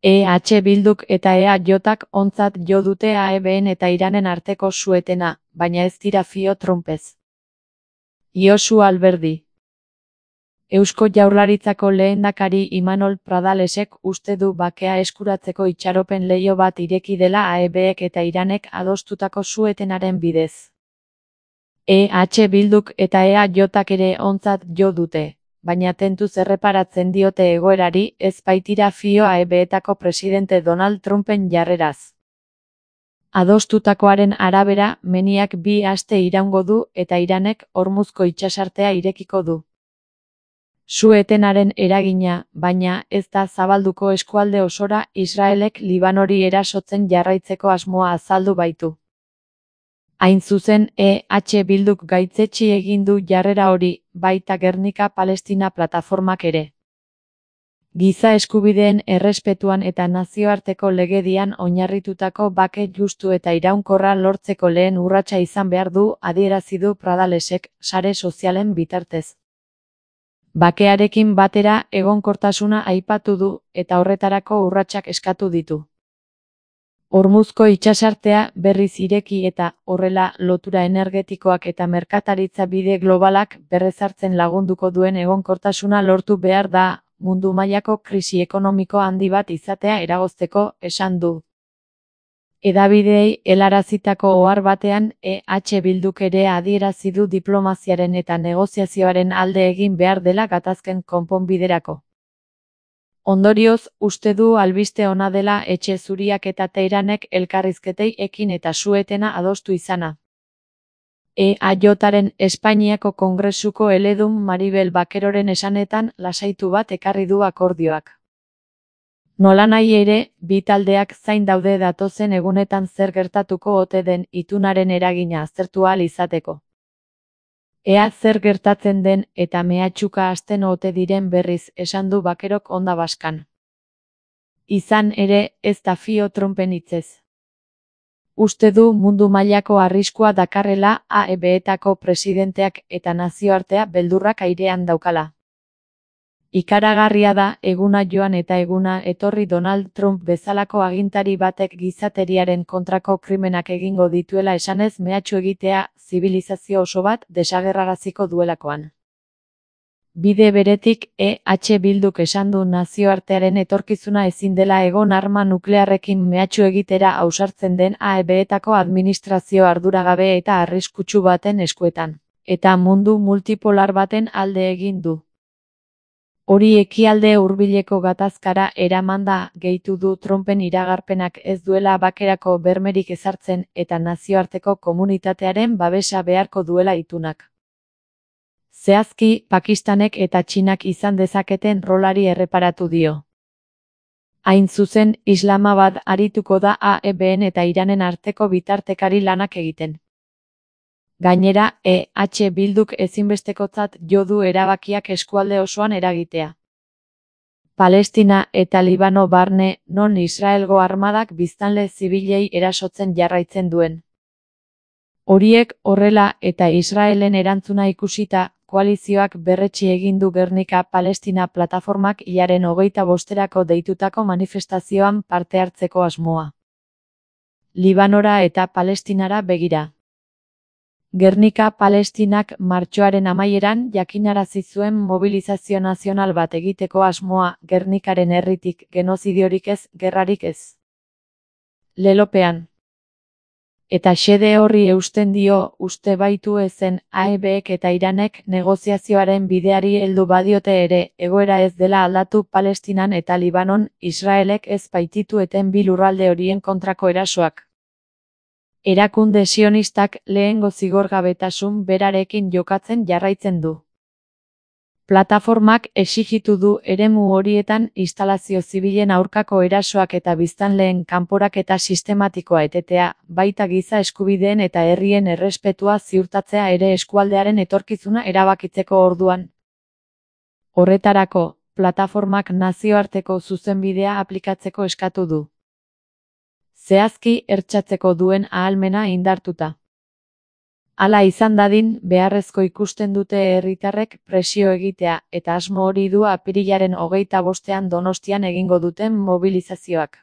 Bilduk eta EAJak ontzat jo dute AEBn eta Iranen arteko su-etena, baina ez dira fio Trumpez. Josu Alberdi. Eusko Jaurlaritzako lehendakari Imanol Pradalesek uste du bakea eskuratzeko itxaropen leiho bat ireki dela AEBek eta Iranek adostutako su-etenaren bidez. Bilduk eta EAJak ere ontzat jo dute, baina tentuz erreparatzen diote egoerari ez baitira fio AEBetako presidente Donald Trumpen jarreraz. Adostutakoaren arabera, meniak 2 aste iraungo du eta Iranek Hormuzko itsasartea irekiko du. Su-etenaren eragina, baina, ez da zabalduko eskualde osora Israelek Libanori erasotzen jarraitzeko asmoa azaldu baitu. Hain zuzen, Bilduk gaitzetsi egin du jarrera hori, baita Gernika Palestina plataformak ere. Giza eskubideen errespetuan eta nazioarteko legedian oinarritutako bake justu eta iraunkorra lortzeko lehen urratsa izan behar du adierazi du Pradalesek sare sozialen bitartez. Bakearekin batera egonkortasuna aipatu du eta horretarako urratsak eskatu ditu. Hormuzko itsasartea berriz ireki eta, horrela, lotura energetikoak eta merkataritza bide globalak berrezartzen lagunduko duen egonkortasuna lortu behar da, mundu mailako krisi ekonomiko handi bat izatea eragozteko, esan du. Hedabideei helarazitako ohar batean, Bilduk ere adierazi du diplomaziaren eta negoziazioaren alde egin behar dela gatazken konponbiderako. Ondorioz, uste du albiste ona dela Etxe Zuriak eta Teheranek elkarrizketei ekin eta su-etena adostu izana. EAJaren Espainiako Kongresuko eledun Maribel Bakeroren esanetan lasaitu bat ekarri du akordioak. Nolanahi ere, bi taldeak zain daude datozen egunetan zer gertatuko ote den itunaren eragina aztertu ahal izateko. Ea zer gertatzen den eta mehatxuka hasten ote diren berriz esan du Bakerok Onda Baskan. Izan ere, ez da fio Trumpen hitzez. Uste du mundu mailako arriskua dakarrela AEBetako presidenteak eta nazioartea beldurrak airean daukala. Ikaragarria da eguna joan eta eguna etorri Donald Trump bezalako agintari batek gizateriaren kontrako krimenak egingo dituela esanez mehatxu egitea zibilizazio oso bat desagerraraziko duelakoan. Bide beretik, Bilduk esan du nazioartearen etorkizuna ezin dela egon arma nuklearrekin mehatxu egitera ausartzen den AEBetako administrazio arduragabe eta arriskutsu baten eskuetan, eta mundu multipolar baten alde egin du. Hori ekialde hurbileko gatazkara eramanda gehitu du Trumpen iragarpenak ez duela bakerako bermerik ezartzen eta nazioarteko komunitatearen babesa beharko duela itunak. Zehazki, Pakistanek eta Txinak izan dezaketen rolari erreparatu dio. Hain zuzen, Islamabad arituko da AEBn eta Iranen arteko bitartekari lanak egiten. Gainera, Bilduk ezinbestekotzat jo du erabakiak eskualde osoan eragitea. Palestina eta Libano barne, non Israelgo armadak biztanle zibilei erasotzen jarraitzen duen. Horiek horrela eta Israelen erantzuna ikusita, koalizioak berretsi egin du Gernika Palestina plataformak hilaren 25erako deitutako manifestazioan parte hartzeko asmoa. Libanora eta Palestinara begira. Gernika Palestinak martxoaren amaieran jakinarazi zuen mobilizazio nazional bat egiteko asmoa Gernikaren herritik genozidiorik ez, gerrarik ez. Lelopean. Eta xede horri eusten dio uste baitu ezen AEBek eta Iranek negoziazioaren bideari heldu badiote ere egoera ez dela aldatu Palestinan eta Libanon Israelek ez baititu eten bi lurralde horien kontrako erasoak. Erakunde sionistak lehengo zigorgabetasun berarekin jokatzen jarraitzen du. Plataformak exijitu du eremu horietan instalazio zibilen aurkako erasoak eta biztanleen kanporaketa sistematikoa etetea, baita giza eskubideen eta herrien errespetua ziurtatzea ere eskualdearen etorkizuna erabakitzeko orduan. Horretarako, plataformak nazioarteko zuzenbidea aplikatzeko eskatu du. Zehazki ertzatzeko duen ahalmena indartuta. Hala izan dadin, beharrezko ikusten dute herritarrek presio egitea, eta asmo hori du apirilaren 25ean Donostian egingo duten mobilizazioak.